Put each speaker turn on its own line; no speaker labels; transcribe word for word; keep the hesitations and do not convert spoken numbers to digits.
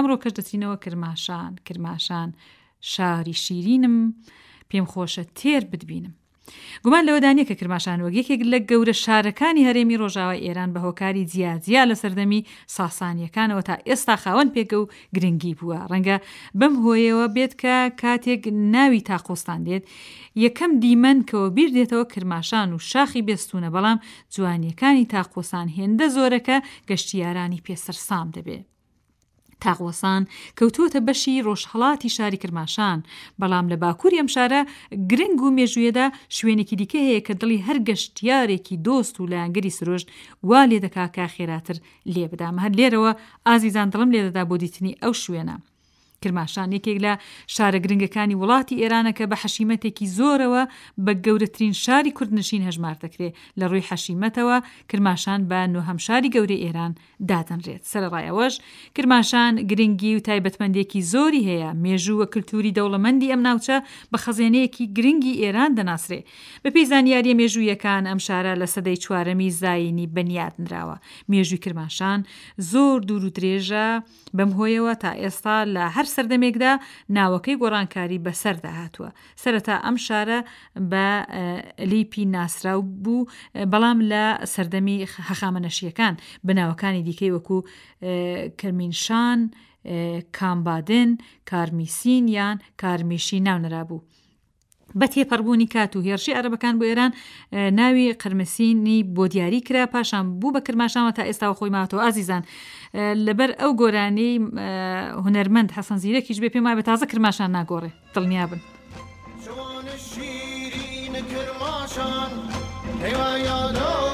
ئەمڕۆکەش دەچینەوە کرماشان. کرماشان شاری شیرینم، پێم خۆشە تێر بتبینم. گومان لەوەدا نییە کە کرماشان وەک یەکێک لە گەورە شارەکانی هەرێمی ڕۆژاوای ئێران بە هۆکاری جیاجیا لە سەردەمی ساسانیەکانەوە تا ئێستا خاوەن پێگە و گرنگی بووە. ڕەنگە بەم هۆیەوە بێت کە کاتێک ناوی تاقۆستان دێت یەکەم دیمەن کەەوە بیر دێتەوە کرماشان و شاخی بێستونە، بەڵام جوانیەکانی تاقۆسان هێندە زۆرەکە گەشتیارانی پێسەرسام دەبێ. تاقوەسان کەوتووەتە بەشی ڕۆژهەڵاتی شاری کرماشان، بەڵام لە باکووری ئەم شارە گرنگ و مێژوویەدا شوێنێکی دیکە هەیە کە دڵی هەر گەشتیارێکی دۆست و لایەنگری سروشت وا لێ دەکا کە خێراتر لێ بدام. هەر لێرەوە ئازیزان دڵم لێدەدا بۆ دیتنی ئەو شوێنە. کرماشان یەکێک لە شارە گرنگەکانی وڵاتی ئێرانە کە بە حەشیمەتێکی زۆرەوە بە گەورەترین شاری کوردنشین هەژمار دەکرێت. لە ڕووی حەشیمەتەوە کرماشان بە نۆهەم شاری گەورەی ئێران دادەنرێت. سەرەڕای ئەوەش کرماشان گرنگی و تایبەتمەندێکی زۆری هەیە. مێژوو و کلتوری دەوڵەمەندی ئەم ناوچە بە خەزێنەیەکی گرنگی ئێران دەناسرێ. بەپێی زانیاریە مێژوویەکان ئەم شارە لە سەدەی چوارەمی زایینی بنیاد نراوە. مێژووی کرماشان زۆر دوور و درێژە، بەم هۆیەوە تا ئێستا لە هەر سەردەمێکدا ناوەکەی گۆڕانکاری بەسەردا هاتووە. سەرەتا ئەم شارە بە لیپی ناسراو بوو، بەڵام لە سەردەمی هەخامەنەشیەکان بە ناوەکانی دیکەی وەکو کرمینشان، کامبادن، کارمیسین یان کارمیشی ناونرابوو. بە تێپەڕبوونی کات و هێرشی عەرەبەکان بۆ ئێران ناوی قرمسینی بۆ دیاری کرا، پاشان بوو بە کرماشانەوە تا ئێستا خۆی ماوەتەوە. ئازیزان لەبەر ئەو گۆرانی هونەرمەند حەسەن زیرەکیش بێ پێم وایە تازە کرماشان ناگۆڕێ، دڵنیا بن.
شیرین کرماشان هیوا یادا